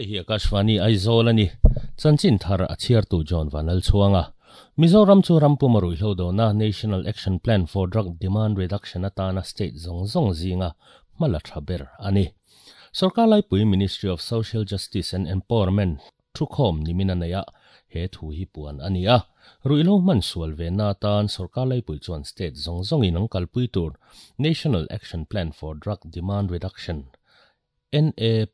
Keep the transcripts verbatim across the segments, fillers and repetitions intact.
Hei hi Akashvani Aizawl ani. Chanchin thar a chhiartu John Vanal chuanga. Mizoram chu rampum ruihhlo dona National Action Plan for Drug Demand Reduction atana state zong zong zinga hmala tha ber ani. Sarkar laipui Ministry of Social Justice and Empowerment thukhawm nimina neia he thu hi puan ani a. Ruihhlo hman sual ve na tan sarkar laipui chuan state zong zong in ang kalpui tur National Action Plan for Drug Demand Reduction N A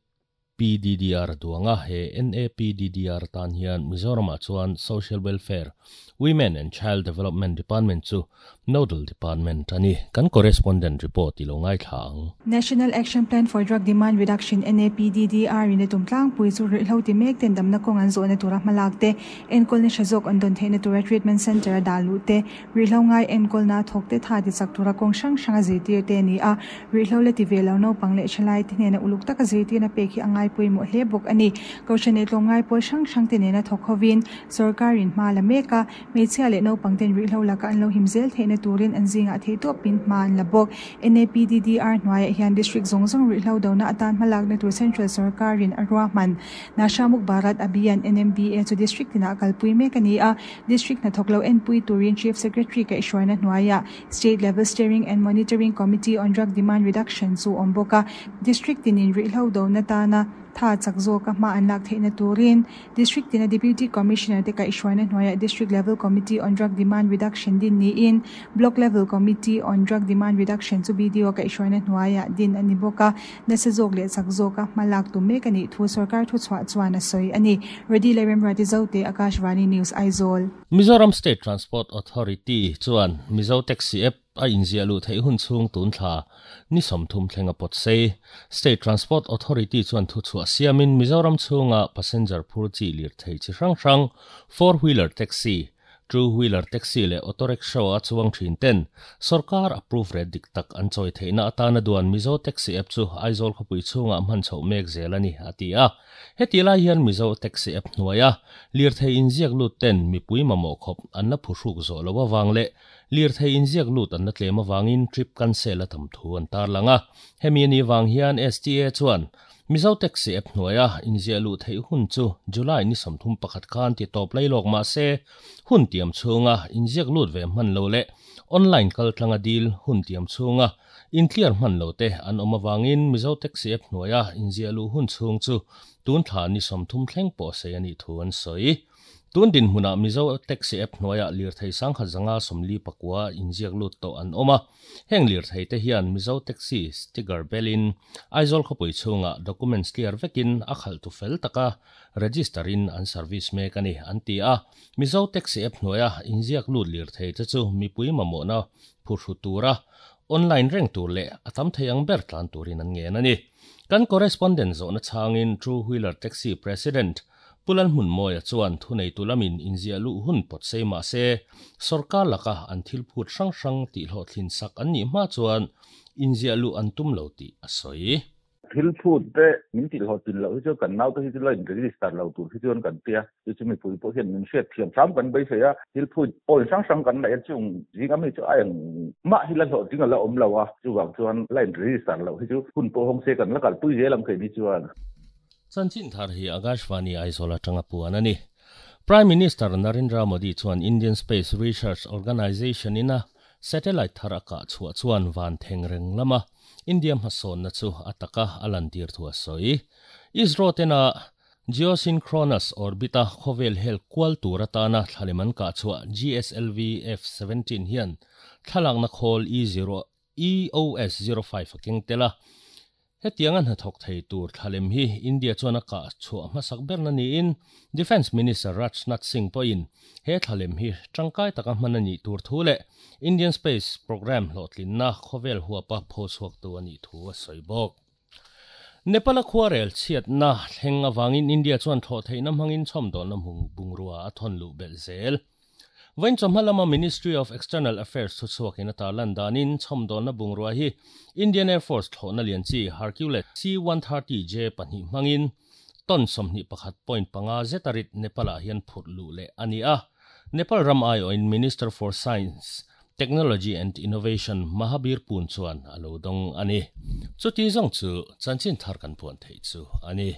P D D R duanga he N A P D D R tan hian Mizoram chuan Social Welfare, Women and Child Development Department chu Nodal Department ani. Kan correspondent report ilo ngai thlang. National Action Plan for Drug Demand Reduction N A P D D R in tumtlang pui chu ruihhlo ti mek ten damna kawng an zawhna tura hmalak te enkawl na hrazawk an dawn theihna tura treatment center a dah luh te ruihhlo ngai enkawl na thawk te tha ti chak tura kawng hrang hrang a zirtir te ani a. Ruihhlo le ti ve lo naupang leh thalai te hnena uluk taka zirtirna pek hi angai puimawh hle bawk ani. Kohhran leh tlawmngai pawl hrang hrang te nena thawk hovin sarkarin hma la mek a. Hmeichhia leh naupang ten ruihhlo laka an lo him zel theihna turin an zingah theih tawpin hma an la bawk. N A P D D R hnuaiah hian district zawng zawng ruihhlo dona atan hmalakna tur central sarkarin a ruahman. Nasha Mukt Bharat Abhiyan N M B A chu district tinah kalpui mek ani a. District hnathawk lo enpui turin Chief Secretary ka ihruaina hnuaiah State Level Steering and Monitoring Committee on Drug Demand Reduction chu awm bawk a. District tinin ruihhlo dona tana tha chak zawk a hma an lak theihna turin district tina Deputy Commissioner te ka ihruaina hnuaiah District Level Committee on Drug Demand Reduction din niin Block Level Committee on Drug Demand Reduction chu B D O ka ihruaina hnuaiah din ani bawk a. Nasa zawk leh chak zawk a hma lak tum mek ani thu sarkar thu chhuah chuan a sawi ani. Ready Lerem Rati Zote, Akashvani News, Aizawl. Mizoram State Transport Authority chuan Mizo Taxi App a inzia lu thei hun chung tun thla ni somthum thlenga pot sei. State Transport Authority chuan thu chhuah siamin Mizoram chhunga passenger phur chi lir thei chi hrang hrang four wheeler taxi, two wheeler taxi le auto rickshaw a chuang thin ten sarkar approve re dik tak an choi theina atana duan Mizo Taxi App chu Aizawl khawpui chhunga hman chho mek zel ani ati a. Heti lai hian Mizo Taxi App hnuaia lir thei inziak lut ten mipui mamawh khawp an la phuhruk zawh lo awang leh lir thei inziak lut an la tlem awangin trip cancel a tam thu an tar langa. Hemi ani wang hian S T A chuan Mizo Taxi App hnuaia inziak lut thei hun chu July ni sawmthum pakhat khan ti tawp lailawk mah se hun tiam chhunga inziak lut ve hman lo leh online kal tlanga dil hun tiam chhunga in clear hman lo te an awm awangin Mizo Taxi App hnuaia inziak lu hun chhung chu tun thla ni sawmthum thleng pawh sei ani thu an sawi. Tun din hmuna Mizo Taxi App hnuaia lir thei sangkhat zanga sawmli pakua inziak lut tawh an awm a. Heng lir thei te hian Mizo Taxi sticker belin Aizawl khawpui chhunga documents clear vekin a khalh tu fel taka register in an service mek ani an ti a. Mizo Taxi App hnuaia inziak lut lir thei te chu mipui mamawhna phurhru tura online reng tur leh a tam thei ang ber tlan turin an ngen ani. Kan correspondent zawhna chhangin Two Wheeler Taxi President Pulan hmun mawia chuan thunei tulamin inzia lu hun pot sei mah se sarkar laka an thil phut hrang hrang tih hlawhthlin sak an nih hma chuan inzia lu an tum lo tih a sawi. Thil phut te min tih hlawhtlin loh hi chu kan nau te hi chu la in register lo tur hi chuan kan tia chu chu mipui pawh hian min hriat thiam hram kan beisei a. Thil phut point hrang hrang kan neih a chung zing ami chu a eng mah hi la hlawhtling a la awm lo a, chuvang chuan la in register loh hi chu hun pawh hawng se kan la kalpui zel ang thei ni chuan. Chanchin thar hi Akashvani Aizawl atanga puan ani. Prime Minister Narendra Modi chuan Indian Space Research Organisation ina satellite thar a kah chhuah chuan van thengreng lama India hmasawn na chu ataka a lantir thu a sawi. ISRO tena geosynchronous orbita khawvel hel kual tur atana thlaleman kah chhuah G S L V F seventeen hian thlalakna khawl E zero E O S zero five a keng tela. Hetiang an hnathawk thei tur thlalem hi India chuan a kah chhuah hmasak berna niin Defence Minister Rajnath Singh pawhin he thlalem hi tangkai taka hman ani tur thu leh Indian Space Program hlawhtlinna khawvel huapa pho chhuak tu ani thu a sawi bawk. Nepal a khuarel chhiatna thleng awangin India chuan thlawh theihna hmangin chhawmdawlna bungrua a thawn luh belh zel. Vain chawhma Ministry of External Affairs thu chhuakin a tar lan danin chhawmdawlna bungrua hi Indian Air Force thlawhna lian chi Hercules C one thirty J pahnih hmangin ton sawmhnih pakhat point panga zetarit Nepal ah hian phurh luh leh ani a. Nepal ram aiawhin Minister for Science, Technology and Innovation Mahabir Pun chuan a lo dawng ani. Chuti zawng chu chanchin thar kan puan thei chu ani.